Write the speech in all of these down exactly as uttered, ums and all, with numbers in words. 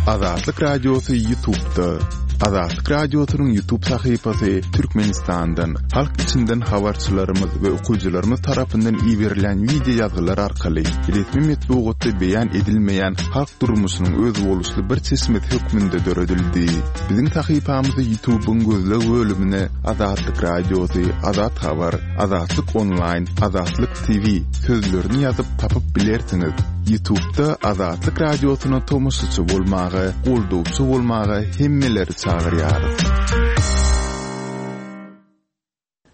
Azatlyk Radiosy YouTube'da. Azatlyk Radiosynyň YouTube sahypasy Türkmenistandan, halk içinden habarçylarymyz we okyjylarymyz tarapyndan iberilen wideo ýazgylar arkaly resmi metbugatda beýan edilmeýän halk durmuşynyň özboluşly bir çeşmesi hökmünde döredildi. Biziň sahypamyzy YouTube'yň gözleg bölümine Azatlyk Radiosy, Azat Habar, Azatlyk Online, Azatlyk T V sözlerini ýazyp tapyp bilersiňiz. YouTube'da Azatlyk Radiosyna tomaşaçy bolmaga, goldawçy bolmaga hemmeleri çagyrýarys.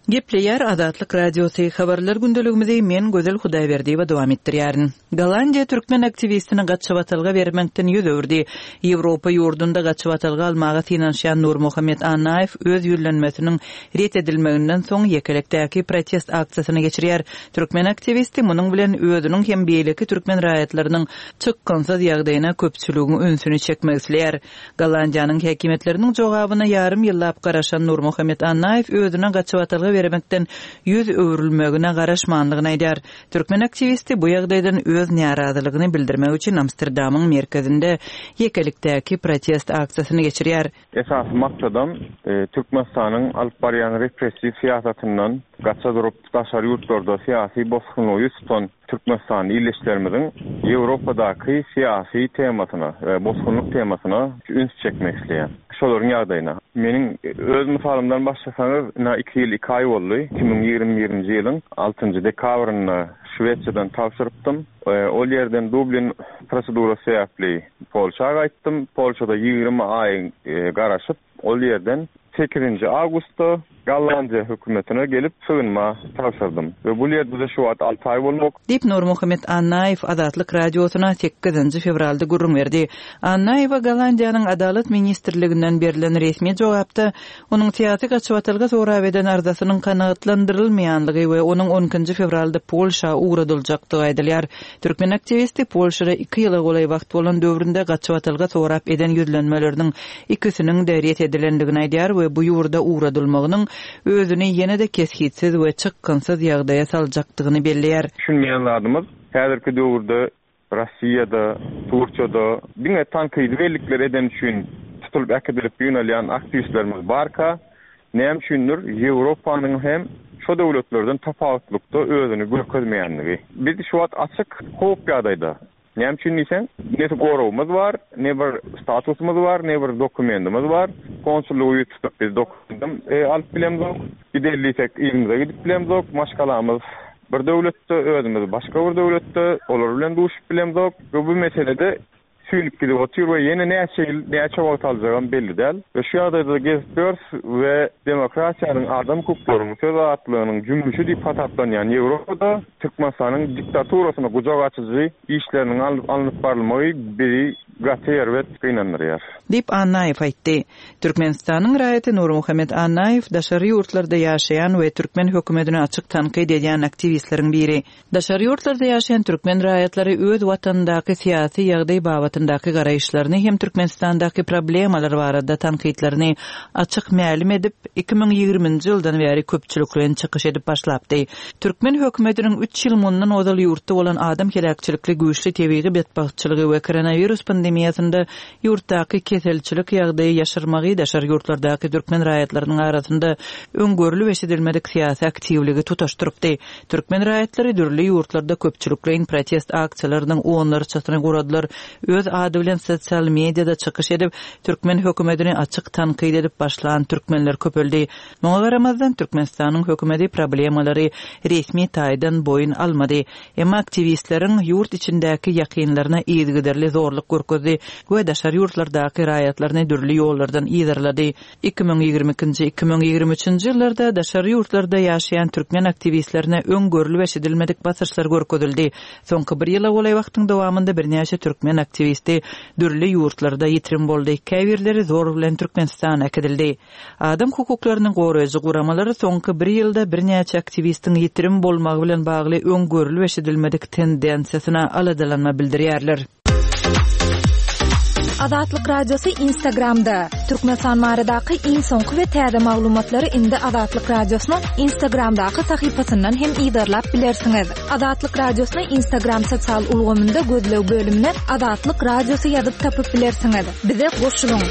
Gepleýär Azatlyk Radiosy, habarlar gündeligimizi men Gözel Hudaýberdiýewa dowam etdirýärin. Gollandiýa türkmen aktiwistini gaçybatalga bermekden ýüz öwürdi. Ýewropa ýurdunda gaçybatalga almaga synanyşýan Nurmuhammet Annaýew öz ýüzlenmesiniň ret edilmeginden soň ýekelikdäki protest aksiýasyny geçirýär. Türkmen aktiwisti munuň bilen özüniň hem beýleki türkmen raýatlarynyň çykgynsyz ýagdaýyna köpçüligiň ünsüni çekmek isleýär. Gollandiýanyň häkimiýetleriniň jogabyna ýarym ýyllap garaşan Nurmuhammet Annaýew özüne gaçybatalga bermekden ýüz öwrülmegine garaşmanlygyny aýdar. Türkmen aktiwisti bu ýagdaýdan öz närazylygyny bildirmek üçin Amsterdamyň merkezinde ýekelikdäki protest aksiýasyny geçirýär. Esasy maksadam e, Türkmenistanyň alyp barýan repressiw syýasatyndan gaça durup daşary ýurtlarda syýasy bosgunlygy ýüz tutan Türkmenistan ildeşlerimiziň Ýewropadaky syýasy temasyna we bosgunlyk temasyna üns çekmek isleýän. Şolaryň ýagdaýyna. Meniň öz mysalymdan başlasaňyz, ina iki ýyl iki aý boldy. iki müň ýigrimi birinji ýylyň altynjy dekabrynda Şwesiýadan tabşyrypdym. E, ol ýerden Dublin prosedurasy sebäpli Polşa gaýtdym. Polşada ýigrimi aý e, garaşyp, ol ýerden sekizinji awgustda Gollandiýa hökümetine gelip sygynma tabşyrdym. We bu ýerde şu wagt alty aý boldy. Diýip Nurmuhammet Annaýew Azatlyk Radiosyna sekizinji fewralda gürrüň berdi. Annaýewa Gollandiýanyň Adalat ministrliginden berlen resmi jogapda onuň syýasy gaçybatalga sorap eden arzasynyň kanagatlandyrylmaýanlygy we onuň on ikinji fewralda Polşa ugradyljakdygy aýdylýar. Türkmen aktiwisti Polşada iki ýyla golaý wagt bolan döwründe gaçybatalga sorap eden ýüzlenmeleriniň ikisiniň de ret edilendigini aýdýar we bu ýurda ugradylmagynyň özüni ýene-de kesgitsiz we çykgynsyz ýagdaýa saljakdygyny belleýär. Düşünmeýän zadymyz, häzirki döwürde Russiýada, Türkiýede diňe tankydy bellikler eden üçin tutulyp äkidilip ýygnalýan aktiwistlerimiz barka, näme üçindir Ýewropanyň hem şu döwletlerden tapawutlykda özüni görkezmeýänligi. Biz şu wagt açyk howp ýagdaýda. Näme üçin diýseň, ne goragymyz bar, ne bir statusymyz bar, ne bir dokumentimiz bar. Konsullygy tutup biz dokumentim e, alyp bilemzok. Giderliysek yzymyza gidip bilemzok. Maşgalamyz bir döwletde, özümiz başga bir döwletde, olar bilen duşup bilemzok. We bu meselede süýnüp gidip otyr we ýene näçe ýyl, näçe wagt aljagam belli däl. We şu ýagdaýda gezip ýörüs we demokratiýanyň, adam hukuklarynyň, söz azatlygynyň jümmüşi diýip hasaplanýan Ýewropada Türkmenistanyň diktaturasyna gujak açyjy işleriniň alnyp barylmagy bizi gaty erbet gynandyrýar. Diýip Annaýew aýtdy. Türkmenistanyň raýaty Nurmuhammet Annaýew daşary ýurtlarda ýaşaýan we türkmen hökümetini açyk tankyt edýän aktiwistleriň biri. Daşary ýurtlarda ýaşaýan türkmen raýatlary öz watanyndaky syýasy ýagdaý babatyndaky garaýyşlaryny hem Türkmenistandaky problemalar barada tankytlaryny açyk mälim edip, iki müň ýigriminji ýyldan bäri köpçülikleýin çykyş edip başlapdy. Türkmen hökümetiniň üç ýyl mundan ozal ýurtda bolan adam heläkçilikli güýçli tebigy betbagtçylygy we koronawirus pandemiýasynda ýurtdaky keselçilik ýagdaýy ýaşyrmagy daşary ýurtlardaky türkmen raýatlarynyň arasynda öň görlüp eşidilmedik syýasy aktiwligi tutaşdyrypdy. Türkmen raýatlary dürli ýurtlarda köpçülikleýin protest aksiýalarynyň onlarçasyny guradylar. Öz ady bilen sosial mediada çykyş edip, türkmen hökümetini açyk tankyt edip başlan türkmenler köpeldi. Muňa garamazdan Türkmenistanyň hökümeti problemalary resmi taýdan boýun almady. Emma aktiwistleriň ýurt içindäki ýakynlaryna yzygiderli zorluk görkezdi we daşary ýurtlardaky raýatlaryny dürli ýollardan yzarlady. iki müň ýigrimi ikinji-iki müň ýigrimi üçünji ýyllarda daşary ýurtlarda ýaşaýan türkmen aktiwistlerine öň görlüp eşidilmedik basyşlar görkezildi. Soňky bir ýyla golaý wagtyň dowamynda birnäçe türkmen aktiwisti dürli ýurtlarda ýitirim boldy. Käbirleri zor bilen Türkmenistana äkidildi. Adam hukuklaryny goraýjy guramalary soňky bir ýylda birnäçe aktiwistiň ýitirim bolmagy bilen bagly öň görlüp eşidilmedik tendensiýasyna aladalanma bildirýärler. Azatlyk Radiosy Instagramda. Türkmenistan baradaky iň soňky we täze maglumatlary indi Azatlyk Radiosynyň Instagramdaky sahypasyndan hem yzarlap bilersiňiz. Azatlyk Radiosyny Instagram sosial ulgamynda gözleg bölümine Azatlyk Radiosy ýazyp tapyp bilersiňiz. Bize goşulyň.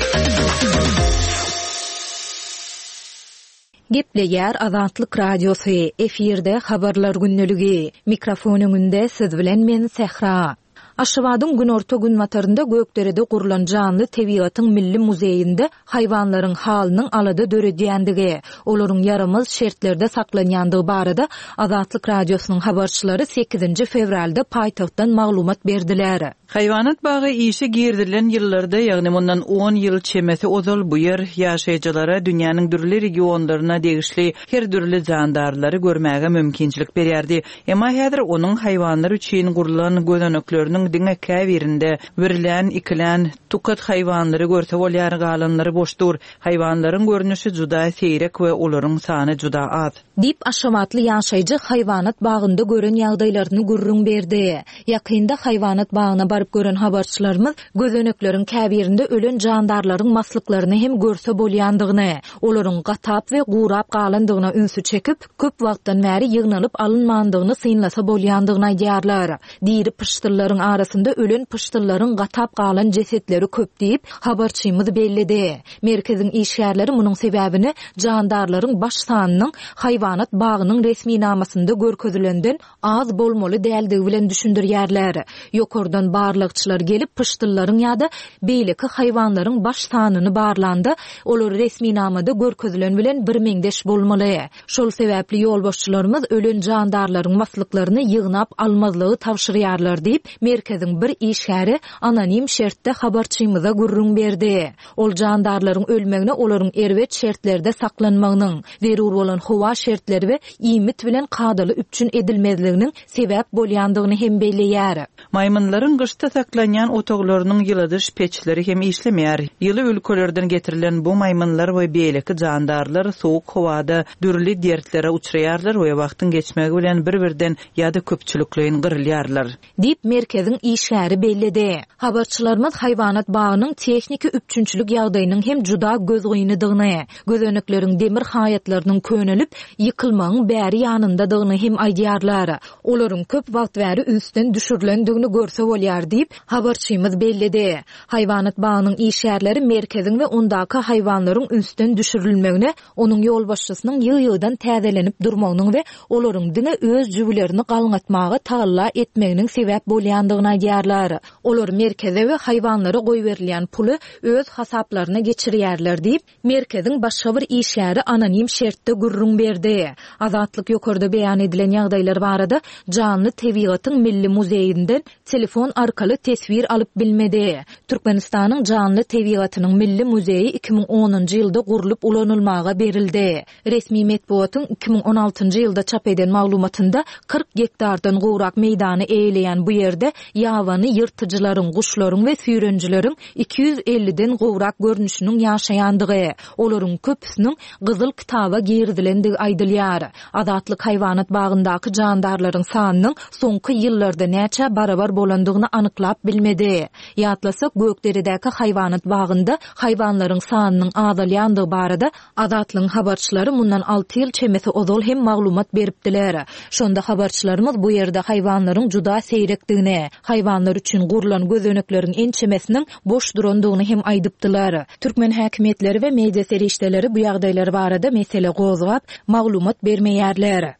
Gepleýär Azatlyk Radiosy, efirde habarlar gündeligi. Mikrofon öňünde siz bilen men Sähra. Aşgabadyň günorta-günbatarynda Gökderede gurlan janly tebigatyň milli muzeýinde haýwanlaryň halynyň alada döredýändigi, olaryň ýaramaz şertlerde saklanýandygy barada Azatlyk Radiosynyň habarçylary sekizinji fewralda paýtagtdan maglumat berdiler. Haýwanat bagy işe girizilen ýyllarda, ýagny mundan on ýyl çemesi ozal bu ýer ýaşaýjylara dünýäniň dürli regionlaryna degişli her dürli jandarlary görmäge mümkinçilik berýärdi. Emma häzir onuň haýwanlar üçin gurlan gözenekleriniň diňe käbirinde birlän, ikilän tukat haýwanlary görse bolýar, galanlary boş dur. Haýwanlaryň görnüşi juda seýrek we olaryň sany juda az. Diýip, aşgabatly ýaşaýjy haýwanat bagynda gören ýagdaýlaryny gürrüň berdi. Ýakynda haýwanat bagyna baryp gören habarçylarymyz gözenekleriň käbirinde ölen jandarlaryň maslyklaryny hem görse bolýandygyny, olaryň gatap we gurap galandygyna ünsi çekip, köp wagtdan bäri ýygnalyp alynmandygyny synlasa bolýandygyny aýdýarlar. Diri pyşdyllaryň arasynda ölen pyşdyllaryň gatap galan jesetleri köp diýip, habarçymyz belledi. Merkeziň işgärleri munuň sebäbini jandarlaryň baş sanynyň haýwanat bagynyň resminamasynda görkezilenden az bolmaly däldigi bilen düşündirýärler. Ýokardan barlagçylar gelip pyşdyllaryň ýa-da beýleki haýwanlaryň baş sanyny barlanda, olar resminamada görkezilen bilen bir meňzeş bolmaly. Şol sebäpli ýolbaşçylarymyz ölen jandarlaryň maslyklaryny ýygnap almazlygy tabşyrýarlar diýip, merkeziň bir işgäri anonim şertde habarçymyza gürrüň berdi. Ol jandarlaryň ölmegine olaryň erbet şertlerde saklanmagynyň, zerur bolan howa şertleri we iýmit bilen kadaly üpjün edilmezliginiň sebäp bolýandygyny hem belleýär. Maýmynlaryň gyşda saklanýan otaglarynyň ýyladyş peçleri hem işlemeýär. Ýyly ülkelerden getirilen bu maýmynlar we beýleki jandarlar soğuk howada dürli dertlere uçraýarlar we wagtyň geçmegi bilen bir-birden ýa-da köpçülikleýin gyrylýarlar. Diýip, merkeziň işgäri belledi. Habarçylarymyz haýwanat bagynyň tehniki üpjünçilik ýagdaýynyň hem juda gözgynydygyny, gözenekleriň demir haýatlarynyň könelip, ýykylmagyň bäri ýanyndadygyny hem aýdýarlar. Olaryň köp wagt bäri ünsden düşürilendigini görse bolýar diýip, habarçymyz belledi. Haýwanat bagynyň işgärleri merkeziň we ondaky haýwanlaryň ünsden düşürilmegine, onuň ýolbaşçysynyň ýygy-ýygydan täzelenip durmagynyň we olaryň diňe öz jübülerini galňatmaga tagalla etmeginiň sebäp bolýandygyny aýdýarlar. Olar merkeze we haýwanlara goýberilýän puly öz hasaplaryna geçirýärler diýip, merkeziň başga bir işgäri anonim şertde gürrüň berdi. Azatlyk ýokarda beýan edilen ýagdaýlar barada Janly Tebigatyň Milli muzeýinden telefon arkaly teswir alyp bilmedi. Türkmenistanyň Janly Tebigatynyň Milli muzeýi iki müň onunjy ýylda gurlup ulanylmaga berildi. Resmi metbugatyň iki müň on altynjy ýylda çap eden maglumatynda kyrk gektardan gowrak meýdany eýeleýän bu ýerde ýabany ýyrtyjylaryň, guşlaryň we süýrenjileriň iki ýüz elliden gowrak görnüşiniň ýaşaýandygy, olaryň köpüsiniň Gyzyl kitaba girizilendigi aýdylýar. Azatlyk haýwanat bagyndaky jandarlaryň sanynyň soňky ýyllarda näçe barabar bolandygyny anyklap bilmedi. Ýatlasak, Gökderedäki haýwanat bagynda haýwanlaryň sanynyň azalýandygy barada Azatlygyň habarçylary mundan alty ýyl çemesi ozal hem maglumat beripdiler. Şonda habarçylarymyz bu ýerde haýwanlaryň juda seýrekdigini, haýwanlar üçin gurlan gözenekleriň ençemesiniň boş durandygyny hem aýdypdylar. Türkmen häkimiýetleri we media serişdeleri bu ýagdaýlar barada mesele gozgap, maglumat bermeýärler.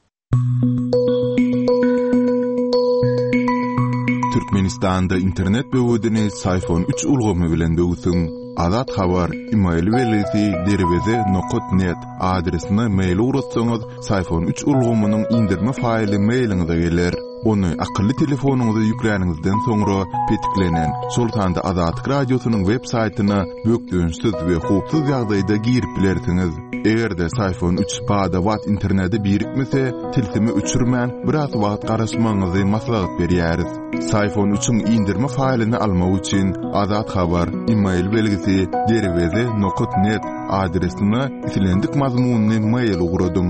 Türkmenistanda internet böwedini Syfon üç ulgamy bilen böwsüň. Azat Habar, email belgisi derweze nokat net adresine mail ugratsaňyz, Syfon üç ulgamynyň indirme faýly mailiňize geler. Ony akylly telefonyňyza ýükläniňizden soňra petiklenen, şol sanda Azatlyk Radiosynyň web saýtyna bökdençsiz we howpsuz ýagdaýda girip bilersiňiz. Eger-de Syfon üç bada-bat internete birikmese, tilsimi öçürmän biraz wagt garaşmagyňyzy maslahat berýäris. Syfon üçiň indirme faýlyny almak üçin Azat Habar, email belgisi derweze nokat net adresine islendik mazmunyny mail ugradyň.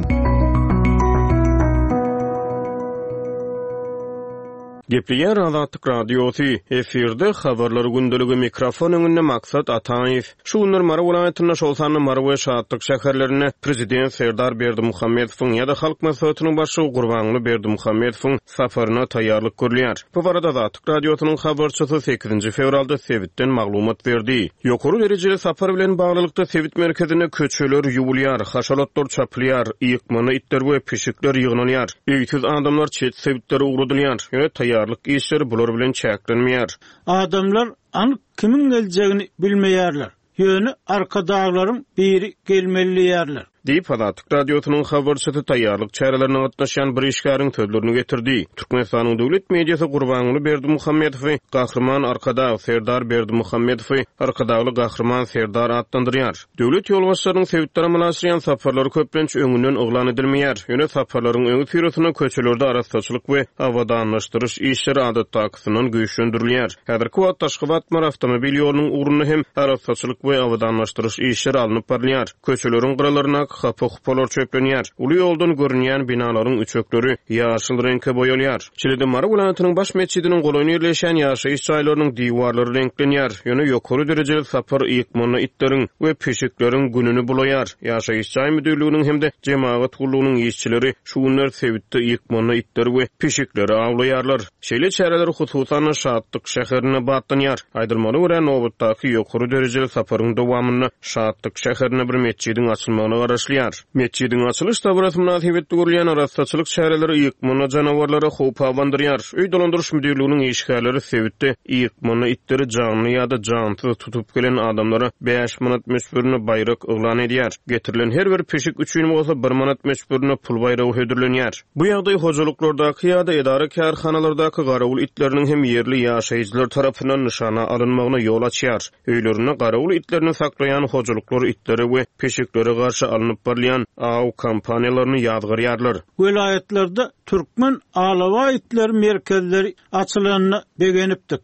Gepleýär Azatlyk Radiosy, efirde Habarlar gündeligi, mikrofon öňünde Maksat Ataýew. Şu günler Mary welaýatynda, şol sanda Mary we Şatlyk şäherlerinde Prezident Serdar Berdimuhamedowyň ýa-da Halk Maslahatynyň Başlygy Gurbanguly Berdimuhamedowyň saparyna taýýarlyk görülýär. Bu barada Azatlyk Radiosynyň habarçysy sekizinji fewralda sebitden maglumat berdi. Ýokary derejeli sapar bilen baglylykda sebit merkezinde köçeler ýuwulýar, haşal otlar çapylýar, ýykmana itler we pişikler ýygnalýar. Öýsüz adamlar çet sebitlere ugradylýar. Ýöne taýýarlyk işleri bular bilen çäklenmeýär. Adamlar anyk kimiň geljegini bilmeýärler. Ýöne arkadaglaryň biri gelmeli diýärler. Diýip, Azatlyk Radiosynyň habarçysy taýýarlyk çärelerine gatnaşýan bir işgäriň sözlerini getirdi. Türkmenistanyň döwlet mediasy Gurbanguly Berdimuhamedowy Gahryman Arkadag Serdar Berdimuhamedowy Arkadagly Gahryman Serdar atlandyrýar. Döwlet ýolbaşçylarynyň sebitlere amala aşyrýan saparlary köplenç öňünden yglan edilmeýär. Ýöne saparlaryň öňüsyrasynda köçelerde arassaçylyk we abadanlaşdyryş işleri adatdakysyndan güýçlendirilýär. Häzirki wagtda Aşgabat-Mary awtomobil ýolunyň ugrunda hem arassaçylyk we abadanlaşdyryş işleri alnyp barylýar. Köçeleriň gyralarynda hapa-hupalar çöplenýär. Uly ýoldan görünýän binalaryň üçekleri ýaşyl reňke boýalýar. Şeýle-de Mary welaýatynyň baş metjidiniň golaýynda ýerleşýän ýaşaýyş jaýlarynyň diwarlary reňklenýär. Ýöne ýokary derejeli sapar ýykmana itleriň we pişikleriň gününi bulaýar. Ýaşaýyş jaý müdirliginiň hem-de jemagat gullugynyň işçileri şu günler sebitde ýykmana itleri we pişikleri awlaýarlar. Şeýle çäreler hususan Şatlyk şäherine batlanýar. Aýdylmagyna görä, nobatdaky ýokary derejeli saparyň dowamynda Şatlyk şäherine bir metjidiň açylmagyna garaşylýar. Metjidiň açylyş dabarasy mynasybetli görülýän arassaçylyk çäreleri ýykmana janawarlara howp abandyrýar. Öý dolandyryş müdirliginiň işgärleri sebitde ýykmana itleri janly ýa-da jansyz tutup gelen adamlara bäş manat möçberinde baýrak yglan edýär. Getirilen her bir pişik üçin bolsa bir manat möçberinde pul baýragy hödürlenýär. Bu ýagdaý hojalyklardaky ýa-da edara kärhanalardaky garawul itleriniň hem ýerli ýaşaýjylar tarapyndan nyşana alynmagyna ýol açýar. Öýlerinde garawul itlerini saklaýan hojalyklar itlere we pişiklere garşy alnyp barylýan aw kompaniýalaryny ýazgarýarlar. Welaýatlarda Türkmen alawa itler merkezleri açylanyna begenipdik.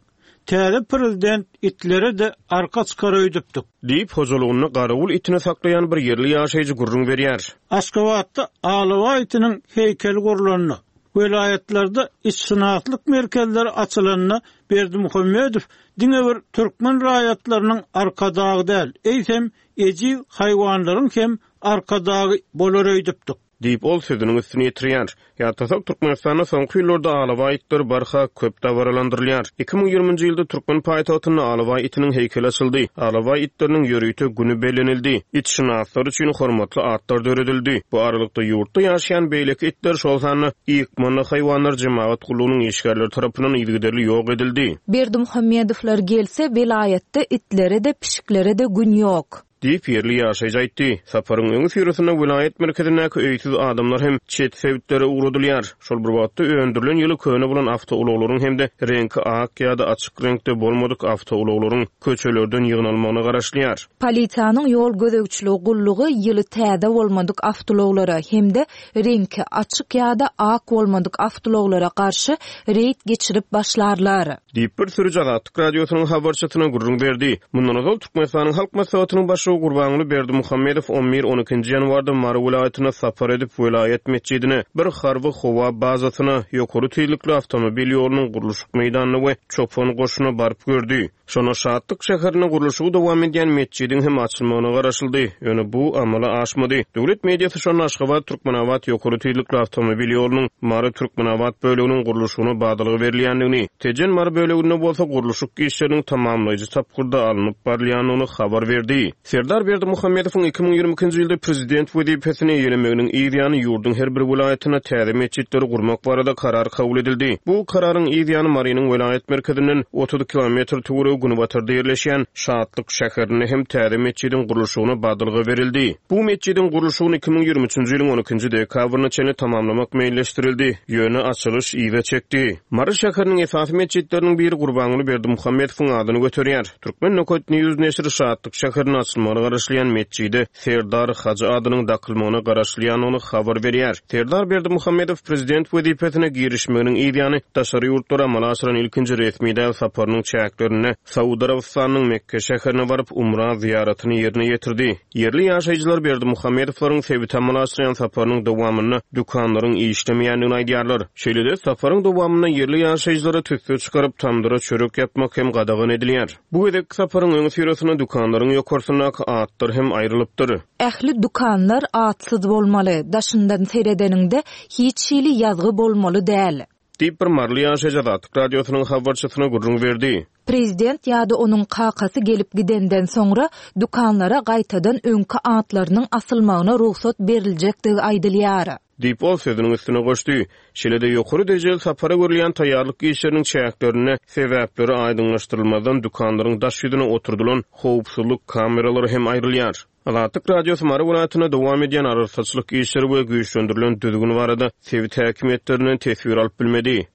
Täze prezident itlere de arka çykar öýdüpdik. Diýip, hojalygynda garawul itini saklaýan bir ýerli ýaşaýjy gürrüň berýär. Aşgabatda alawa itiniň heýkeli gurlanda, welaýatlarda itşynaslyk merkezleri açylanda Berdimuhamedow diňe bir türkmen raýatlarynyň arkadagy däl, eýsem ejiz haýwanlaryň hem arkadagy bolar öýdüpdik. Diýip, ol sözüniň üstüni ýetirýär. Ýatlasak, Türkmenistanda soňky ýyllarda alawa itleri barha köp dabaralandyrylýar. Iki müň ýigriminji ýylda türkmen paýtagtynda alawa itiniň heýkeli açyldy. Alawa itleriniň ýörite güni bellenildi. Itşynaslar üçin hormatly atlar döredildi. Bu aralykda ýurtda ýaşaýan beýleki itler, şol sanda ýykmana haýwanlar jemagat gullugynyň işgärleri tarapyndan yzygiderli ýok edildi. Berdimuhamedowlar gelse, welaýatda itlere de pişiklere de gün ýok. Diýip, ýerli ýaşaýjy aýtdy. Saparyň öňüsyrasynda welaýat merkezindäki öýsüz adamlar hem çet sebitlere ugradylýar. Şol bir wagtda öndürilen ýyly köne bolan awtoulaglaryň hem-de reňki ak ýa-da açyk reňkde bolmadyk awtoulaglaryň köçelerden ýygnalmagyna garaşylýar. Polisiýanyň ýol gözegçiligi gullugy ýyly täze bolmadyk awtoulaglara hem-de reňki açyk ýa-da ak bolmadyk awtoulaglara garşy reýd geçirip başlarlar. Diýip, bir sürüji Azatlyk Radiosynyň habarçysyna gürrüň berdi. Mundan ozal Türkmenistanyň Halk Maslahatynyň başlygy Gurbanguly Berdimuhamedow on bir on ikinji ýanwarda Mary welaýatyna sapar edip, welaýat metjidine, bir harby howa bazasyna, ýokary tizlikli awtomobil ýolunyň gurluşyk meýdanyna we çopan goşuna baryp gördi. Şonda Şatlyk şäherinde gurluşygy dowam edýän metjidiň hem açylmagyna garaşyldy. Ýöne bu amala aşmady. Döwlet mediasy şonda Aşgabat Türkmenabat ýokary tizlikli awtomobil ýolunyň Mary Türkmenabat böleginiň gurluşygyna badalga berilýändigini, Tejen Mary böleginde bolsa gurluşyk işleriniň tamamlaýjy tapgyrda alnyp barylýandygyny habar berdi. Serdar Berdimuhamedowyň iki müň ýigrimi ikinji ýylda prezident wezipesini eýelemeginiň yz ýany ýurduň her bir welaýatynda täze metjitleri gurmak barada karar kabul edildi. Bu kararyň yz ýany Marynyň welaýat merkezinden otuz kilometr töweregi günbatarda ýerleşýän Şatlyk şäherinde hem täze metjidiň gurluşygyna badalga berildi. Bu metjidiň gurluşygyny iki müň ýigrimi üçünji ýylyň on ikinji dekabryna çenli tamamlamak meýilleşdirildi. Ýöne açylyş yza çekdi. Mary şäheriniň esasy metjitleriniň biri Gurbanguly Berdimuhamedowyň adyny göterýär. Türkmen Nokat News neşiri Şatlyk şäheriniň açylmagy açylmagyna garaşylýan metjide Serdar Hajy adynyň dakylmagyna garaşylýandygyny habar berýär. Serdar Berdimuhamedow prezident wezipesine girişmeginiň yzýany daşary ýurtlara amala aşyran ilkinji resmi däl saparynyň çäklerinde Saud Arabystanynyň Mekke şäherine baryp, umra zyýaratyny ýerine ýetirdi. Ýerli ýaşaýjylar Berdimuhamedowlaryň sebite amala aşyrýan saparynyň dowamynda dükanlaryň işlemeýändigini aýdýarlar. Şeýle-de, saparyň dowamynda ýerli ýaşaýjylara tüsse çykaryp, tamdyra çörek ýapmak hem gadagan edilýär. Bu gezekki saparyň öňüsyrasynda dükanlaryň ýokarsyndaky atlar hem aýrylypdyr. Ähli dükanlar atsyz bolmaly, daşyndan seredeniňde hiç hili ýazgy bolmaly däl. Diýip, bir maryly ýaşaýjy Azatlyk Radiosynyň habarçysyna gürrüň berdi. Prezident ýa-da onuň kakasy gelip gidenden soňra dükanlara gaýtadan öňki atlarynyň asylmagyna rugsat beriljekdigi aýdylýar. Diýip, ol sözüniň üstüne goşdy. Şeýle-de, ýokary derejeli sapara görülýän taýýarlyk işleriniň çäklerinde sebäpleri aýdyňlaşdyrylmazdan dükanlaryň daş ýüzüne oturdylan howpsuzlyk kameralary hem aýrylýar. Azatlyk Radiosy Mary welaýatynda dowam edýän arassaçylyk işleri we güýçlendirilen düzgün barada sebit häkimiýetlerinden teswir alyp bilmedi.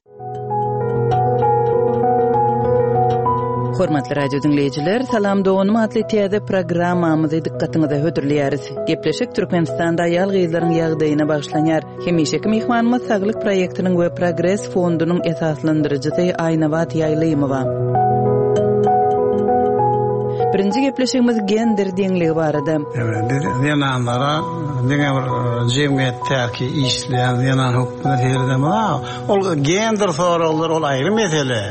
Hormatly radio diňleýjiler, Salam doganym atly täze programmamyzy dykgatyňyza hödürleýäris. Gepleşik Türkmenistanda aýal-gyzlaryň ýagdaýyna bagyşlanýar. Hemişeki myhmanymyz Saglyk proýektiniň we Progres fondunyň esaslandyryjysy Aýnabat Ýaýlymowa. Birinji gepleşigimiz gender deňligi barada. Evet, biz zenanlara diňe bir jemgyýetdäki işleýän zenan hökmünde seredemok. Ol gender soraglary ol aýry mesele.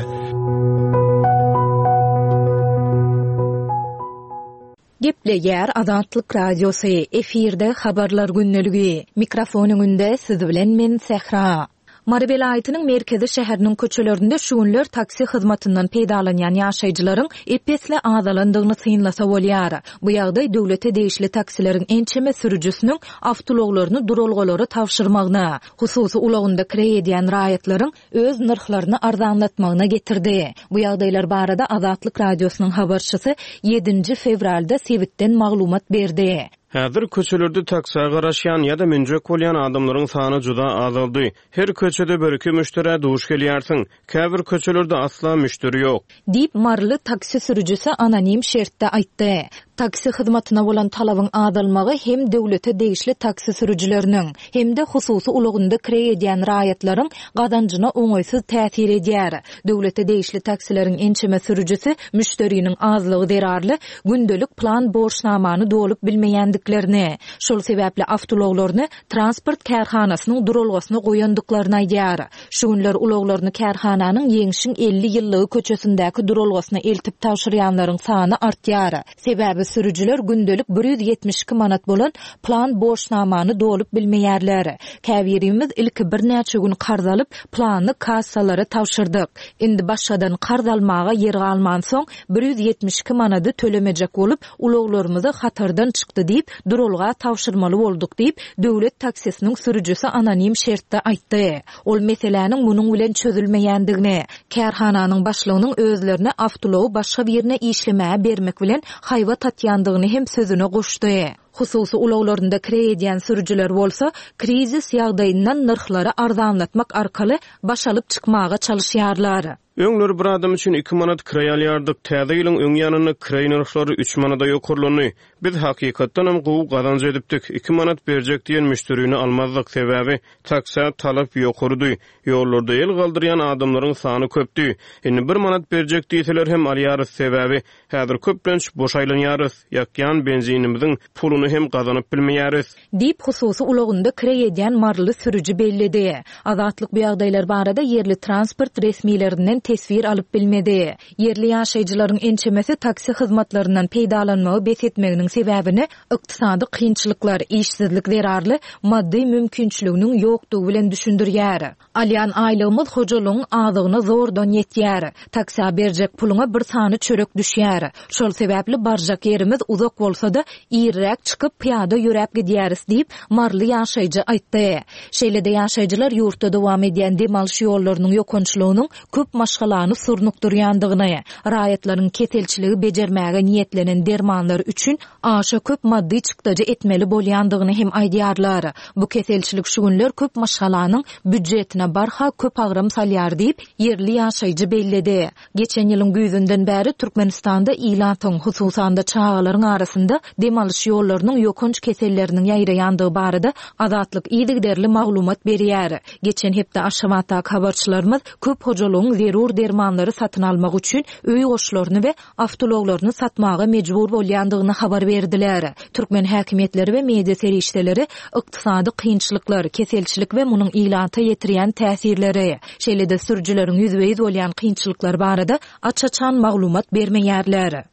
Gepleýär Azatlyk Radiosy, efirde habarlar gündeligi. Mikrofon öňünde siz bilen men Sähra. Mary welaýatynyň merkezi şäheriniň köçelerinde şu günler taksi hyzmatyndan peýdalanýan ýaşaýjylaryň ep-esli azalandygyny synlasa bolýar. Bu ýagdaý döwlete degişli taksileriň ençeme sürüjisiniň awtoulaglaryny duralgalara tabşyrmagyna, hususy ulagynda kireý edýän raýatlaryň öz nyrhlaryny arzanlatmagyna getirdi. Bu ýagdaýlar barada Azatlyk Radiosynyň habarçysy ýedinji fewralda sebitden maglumat berdi. Häzir köçelerde taksä garaşýan ýa-da münjek bolýan adamlaryň sany juda azaldy. Her köçede bir-iki müşderä duş gelýärsiň. Käbir köçelerde asla müşderi ýok. Diýip, maryly taksi sürüjisi anonim şertde aýtdy. Taksi hyzmatyna bolan talabyň azalmagy hem döwlete degişli taksi sürüjileriniň, hem-de hususy ulagynda kireý edýän raýatlaryň gazanjyna oňaýsyz täsir edýär. Döwlete degişli taksileriň ençeme sürüjisi müşderiniň azlygy zerarly gündelik plan borçnamany dolup bilmeýändiklerini, şol sebäpli awtoulaglaryny transport kärhanasynyň duralgasyna goýandyklaryny aýdýar. Şu günler ulaglaryny kärhananyň Ýeňşiň elli ýyllygy köçesindäki duralgasyna eltip tabşyrýanlaryň sany artýar. Sebäbi sürüjiler gündelik bir ýüz ýetmiş iki manat bolan plan borçnamany dolup bilmeýärler. Käbirimiz ilki birnäçe gün karz alyp, plany kassalara tabşyrdyk. Indi başgadan karz almaga ýer galmansoň, bir ýüz ýetmiş iki manady tölemejek bolup, ulaglarymyzy hatardan çykdy diýip, duralga tabşyrmaly bolduk diýip, döwlet taksisiniň sürüjisi anonim şertde aýtdy. Ol meseläniň munuň bilen çözülmeýändigini, kärhananyň başlygynyň özlerine awtoulagy başga birine işlemäge bermek bilen haýbat atýandygyny hem sözüne goşdy. Hususy ulaglarynda kireý edýän sürüjiler bolsa, krizis ýagdaýyndan nyrhlary arzanlatmak arkaly baş alyp çykmaga çalyşýarlar. Öňler bir adam üçin iki manat kireý alýardyk. Täze ýylyň öň ýanynda kireý nyrhlary üç manada ýokarlandy. Biz hakykatdanam gowy gazanç edipdik. Iki manat berjek diýen müşderini almazdyk, sebäbi taksä talap ýokarydy. Ýollarda el galdyrýan adamlaryň sany köpdi. Indi bir manat berjek diýseler hem alýarys, sebäbi häzir köplenç boş aýlanýarys. Ýakýan benzinimiziň puluny hem gazanyp bilmeýäris. Diýip, hususy ulagynda kireý edýän maryly sürüji belledi. Azatlyk bu ýagdaýlar barada ýerli transport resmilerinden teswir alyp bilmedi. Ýerli ýaşaýjylaryň ençemesi taksi hyzmatlaryndan peýdalanmagy bes etmeginiň sebäbini ykdysady kynçylyklar, işsizlik zerarly maddy mümkinçiliginiň ýokdugy bilen düşündirýär. Alýan aýlygymyz hojalygyň azygyna zordan ýetýär. Taksä berjek puluňa bir sany çörek düşýär. Şol sebäpli barjak ýerimiz uzak bolsa-da, irräk çykyp pyýada ýöräp gidýäris diýip, maryly ýaşaýjy aýtdy. Şeýle-de ýaşaýjylar ýurtda dowam edýän dem alyş ýollarynyň ýokançlygynyň köp maşgalany surnukdyrýandygyny, raýatlaryň keselçiligi bejermäge niýetlenen dermanlar üçin aşa köp maddy çykdajy etmeli bolýandygyny hem aýdýarlar. Bu keselçilik şu günler köp maşgalanyň býujetine barha köp agram salýar diýip, ýerli ýaşaýjy belledi. Geçen ýylyň güýzünden bäri Türkmenistanda ilatyň, hususan-da çagalaryň arasynda dem alyş ýollarynyň ýokanç keselleriniň ýaýraýandygy barada Azatlyk yzygiderli maglumat berýär. Geçen hepde Aşgabatdaky habarçylarymyz köp hojalygyň zerur dermanlary satyn almak üçin öý goşlaryny we awtoulaglaryny satmaga mejbur bolýandygyny habar berdiler. Türkmen häkimiýetleri we media serişdeleri ykdysady kynçylyklar, keselçilik we munuň ilata ýetirýän täsirleri, şeýle-de sürüjileriň ýüzbe-ýüz bolýan kynçylyklary barada aç-açan maglumat bermeýärler.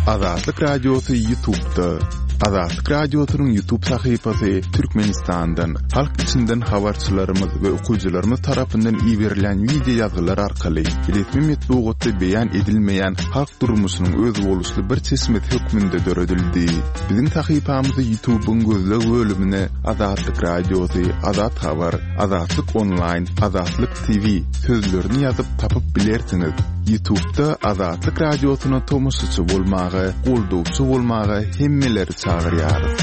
Azatlyk Radiosy YouTube'da. Azatlyk Radiosynyň YouTube sahypasy Türkmenistandan, halk içinden habarçylarymyz we okyjylarymyz tarapyndan iberilýän wideo ýazgylar arkaly resmi metbugatda beýan edilmeýän halk durmuşynyň özboluşly bir çeşmesi hökmünde döredildi. Biziň sahypamyzy YouTube'yň gözleg bölümine Azatlyk Radiosy, Azat Habar, Azatlyk Online, Azatlyk T V sözlerini ýazyp tapyp bilersiňiz. YouTube'da Azatlyk Radiosyna tomaşaçy bolmaga, goldawçy bolmaga hemmeleri çagyrýarys.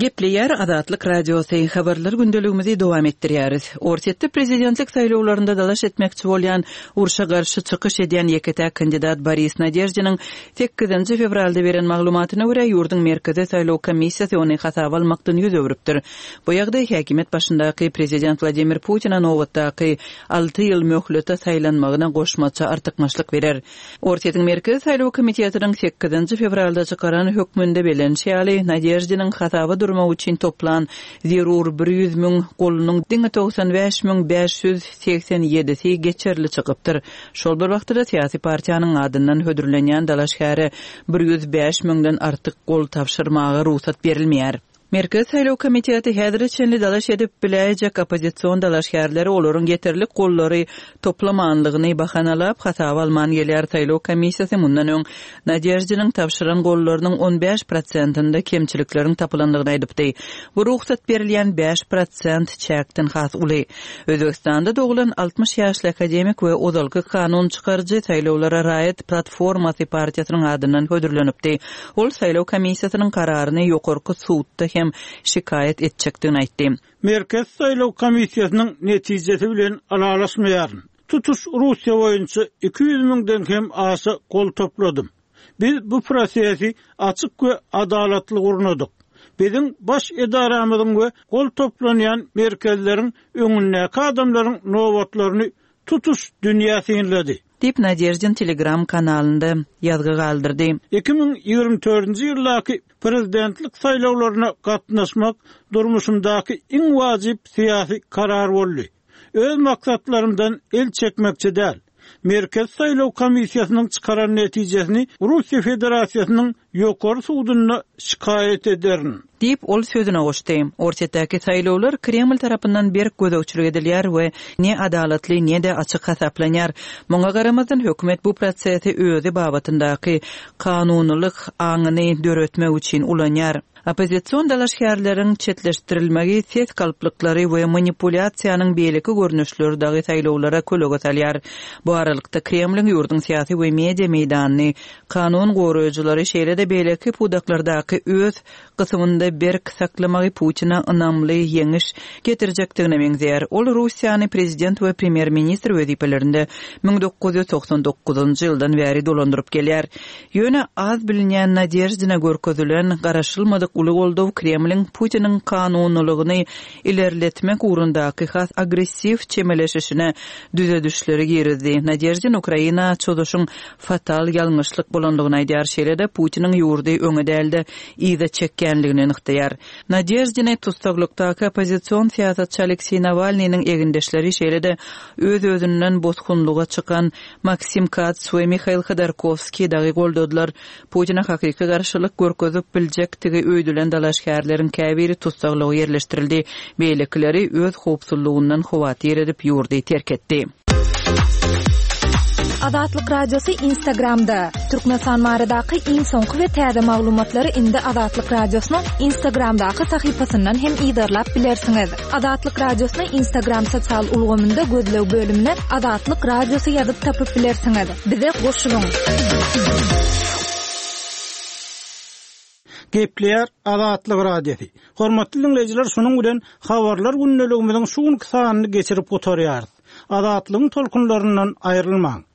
Gepleýär Azatlyk Radiosy, habarlar gündeligimizi dowam etdirýäris. Orsýetde prezidentlik saýlawlarynda dalaş etmekçi bolýan urşa garşy çykyş edýän ýeke-täk kandidat Boris Nadeždiniň sekizinji fewralda beren maglumatyna görä ýurduň Merkezi saýlaw komissiýasy ony hasaba almakdan ýüz öwrüpdir. Bu ýagdaý häkimiýet başyndaky prezident Wladimir Putina nobatdaky alty ýyl möhlete saýlanmagyna goşmaça artykmaçlyk berer. Orsýetiň Merkezi saýlaw komitetiniň sekizinji fewralda çykaran hökmünde belenişi ýaly Nadeždiniň hasaba durmak üçin toplan zerur bir ýüz müň golunyň diňe togsan bäş müň bäş ýüz segsen ýedisi geçerli çykypdyr. Şol bir wagtda syýasy partiýanyň adyndan hödürlenýän dalaşgäre bir ýüz bäş müňden artyk gol tapşyrmaga rugsat berilmeýär. Merkezi saýlaw komiteti häzire çenli dalaş edip biläýjek oppozision dalaşgärleri olaryň ýeterlik gollary toplamanlygyny bahanalap hasaba alman gelýär. Saýlaw komissiýasy mundan öň Nadeždiniň tapşyran gollarynyň on bäş prosentinde kemçilikleriň tapylandygyny aýdypdy. Bu rugsat berilýän bäş prosent çäkden has uly. Özbekistanda doglan altmyş ýaşly akademik we ozalky kanun çykaryjy saýlawlara raýat platformasy partiýasynyň adyndan hödürlenipdi. Ol saýlaw komissiýasynyň kararyny ýokarky sudda hem şikaýat etjekdigini aýtdy. Merkez saýlaw komissiýasynyň netijesi bilen ylalaşmaýaryn. Tutuş Russiýa boýunça iki ýüz müňden hem aşa gol topladym. Biz bu prosesi açyk we adalatly gurnadyk. Biziň baş edaramyzyň we gol toplanýan merkezleriň öňündäki adamlaryň nobatlaryny tutuş dünýä synlady. Diýip Nadeždin Telegram kanalynda ýazgy galdyrdy. Iki müň ýigrimi dördünji ýyldaky prezidentlik saýlawlaryna gatnaşmak durmuşymdaky iň wajyp syýasy karar boldy. Öz maksatlarymdan el çekmekçi däl. Merkez saýlaw komissiýasynyň çykaran netijesini Russiýa Federasiýasynyň ýokary sudunda şikaýat ederin. Diýip ol sözüne goşdy. Orsýetdäki saýlawlar Kreml tarapyndan berk gözegçilik edilýär we ne adalatly ne-de açyk hasaplanýar. Muňa garamazdan hökümet bu prosesi özi babatyndaky kanunylyk aňyny döretmek üçin ulanýar. Oppozision dalaşgärleriň çetleşdirilmegi ses galplyklary we manipulýasiýanyň beýleki görnüşleri dagy saýlawlara kölege salýar. Bu aralykda Kremliň ýurduň syýasy we media meýdanyny, kanun goraýjylary şeýle-de beýleki pudaklardaky öz gysymynda berk saklamagy Putina ynamly ýeňiş getirjekdigine meňzeýär. Ol Russiýany prezident we premýer-ministr wezipelerinde müň dokuz ýüz togsan dokuzynjy ýyldan bäri dolandyryp gelýär. Ýöne az bilinýän Nadeždina görkezilen garaşylmadyk uly goldaw Kremliň Putiniň kanunylygyny ilerletmek ugrundaky has agressiw çemeleşişine düzedişleri girizdi. Nadeždin Ukraina çozuşyň fatal ýalňyşlyk bolandygyny aýdýar. Şeýle-de Putiniň ýurdy öňe dälde yza çekýänligini nygtaýar. Nadeždini tussaglyk oppozision syýasatçy Aleksey Nawalnynyň egindeşleri şeýle-de öz-özünden bosgunlyga çykan Maksim Kats we Mihail Khodorkovskiy dagy goldadylar. Putina hakyky garşylyk görkezip biljekdigi öýdülen dalaşgärleriň käbiri tussaglyga ýerleşdirildi. Beýlekileri öz howpsuzlygyndan howatyr edip ýurdy terk etdi. Azatlyk Radiosy Instagramda. Türkmenistan baradaky iň soňky we täze maglumatlary indi Azatlyk Radiosynyň Instagramdaky sahypasyndan hem yzarlap bilersiňiz. Azatlyk Radiosyny Instagram sosial ulgamynda gözleg bölümine Azatlyk Radiosy ýazyp tapyp bilersiňiz. Bize goşulyň. Gepleýär Azatlyk Radiosy. Hormatly dinleýjiler, şunuň bilen habarlar gündeligimiziň şu günki sanyny geçirip gutarýarys. Azatlygyň tolkunlaryndan aýrylmaň.